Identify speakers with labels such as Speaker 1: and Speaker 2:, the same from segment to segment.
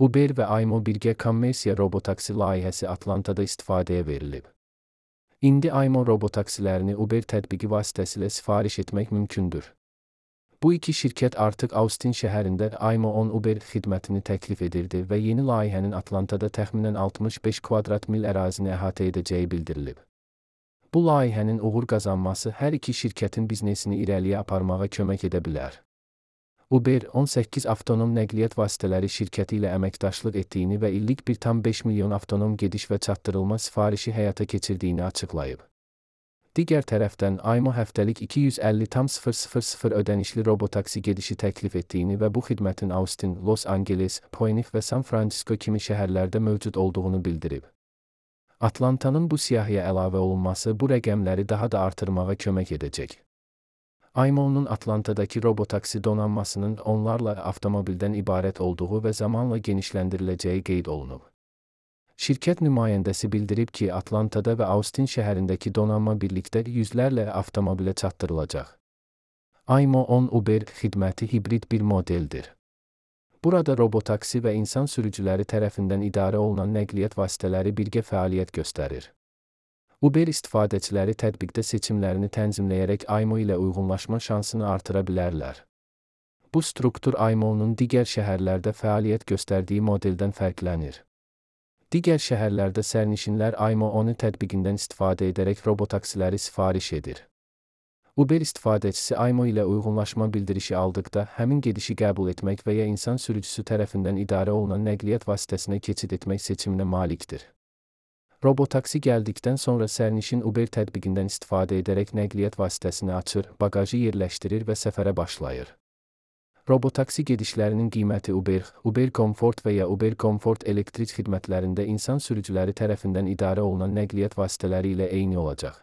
Speaker 1: Uber və Aymo birgə kommersiya robotaksi layihəsi Atlantada istifadəyə verilib. İndi Aymo robotaksilərini Uber tətbiqi vasitəsilə sifariş etmək mümkündür. Bu iki şirkət artıq Austin şəhərində Aymo on Uber xidmətini təklif edirdi və yeni layihənin Atlantada təxminən 65 kvadrat mil ərazini əhatə edəcəyi bildirilib. Bu layihənin uğur qazanması hər iki şirkətin biznesini irəliyə aparmağa kömək edə bilər. Uber 18 avtonom nəqliyyat vasitələri şirkəti ilə əməkdaşlıq etdiyini və illik 1,5 milyon avtonom gediş və çatdırılma sifarişi həyata keçirdiyini açıqlayıb. Digər tərəfdən Aymo həftəlik 250,000 ödənişli robotaksi gedişi təklif etdiyini və bu xidmətin Austin, Los Angeles, Phoenix və San Francisco kimi şəhərlərdə mövcud olduğunu bildirib. Atlantanın bu siyahıya əlavə olunması bu rəqəmləri daha da artırmağa kömək edəcək. Aymo'nun Atlantadakı robotaksi donanmasının onlarla avtomobildən ibarət olduğu və zamanla genişləndiriləcəyi qeyd olunub. Şirkət nümayəndəsi bildirib ki, Atlantada və Austin şəhərindəki donanma birlikdə yüzlərlə avtomobilə çatdırılacaq. Aymo on Uber xidməti hibrid bir modeldir. Burada robotaksi və insan sürücüləri tərəfindən idarə olunan nəqliyyat vasitələri birgə fəaliyyət göstərir. Uber istifadəçiləri tətbiqdə seçimlərini tənzimləyərək Aymo ilə uyğunlaşma şansını artıra bilərlər. Bu struktur Aymo'nun digər şəhərlərdə fəaliyyət göstərdiyi modeldən fərqlənir. Digər şəhərlərdə sərnişinlər Aymo onu tətbiqindən istifadə edərək robotaksiləri sifariş edir. Uber istifadəçisi Aymo ilə uyğunlaşma bildirişi aldıqda həmin gedişi qəbul etmək və ya insan sürücüsü tərəfindən idarə olunan nəqliyyat vasitəsinə keçid etmək seçiminə malikdir. Robotaksi gəldikdən sonra sərnişin Uber tətbiqindən istifadə edərək nəqliyyat vasitəsini açır, baqajı yerləşdirir və səfərə başlayır. Robotaksi gedişlərinin qiyməti Uber Comfort və ya Uber Comfort elektrik xidmətlərində insan sürücüləri tərəfindən idarə olunan nəqliyyat vasitələri ilə eyni olacaq.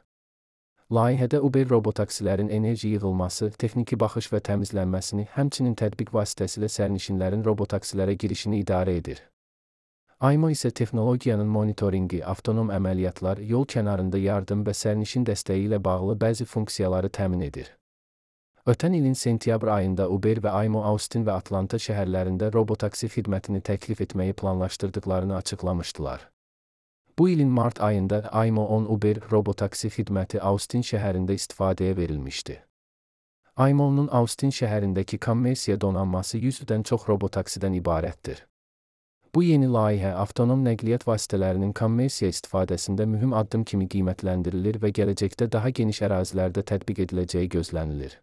Speaker 1: Layihədə Uber robotaksilərin enerji yığılması, texniki baxış və təmizlənməsini, həmçinin tətbiq vasitəsilə sərnişinlərin robotaksilərə girişini idarə edir. Aymo isə texnologiyanın monitoringi, avtonom əməliyyatlar, yol kənarında yardım və sərnişin dəstəyi ilə bağlı bəzi funksiyaları təmin edir. Ötən ilin sentyabr ayında Uber və Aymo Austin və Atlanta şəhərlərində robotaksi xidmətini təklif etməyi planlaşdırdıqlarını açıqlamışdılar. Bu ilin mart ayında Aymo on Uber robotaksi xidməti Austin şəhərində istifadəyə verilmişdi. Aymo'nun Austin şəhərindəki kommersiya donanması 100-dən çox robotaksidən ibarətdir. Bu yeni layihə avtonom nəqliyyat vasitələrinin kommersiya istifadəsində mühüm addım kimi qiymətləndirilir və gələcəkdə daha geniş ərazilərdə tətbiq ediləcəyi gözlənilir.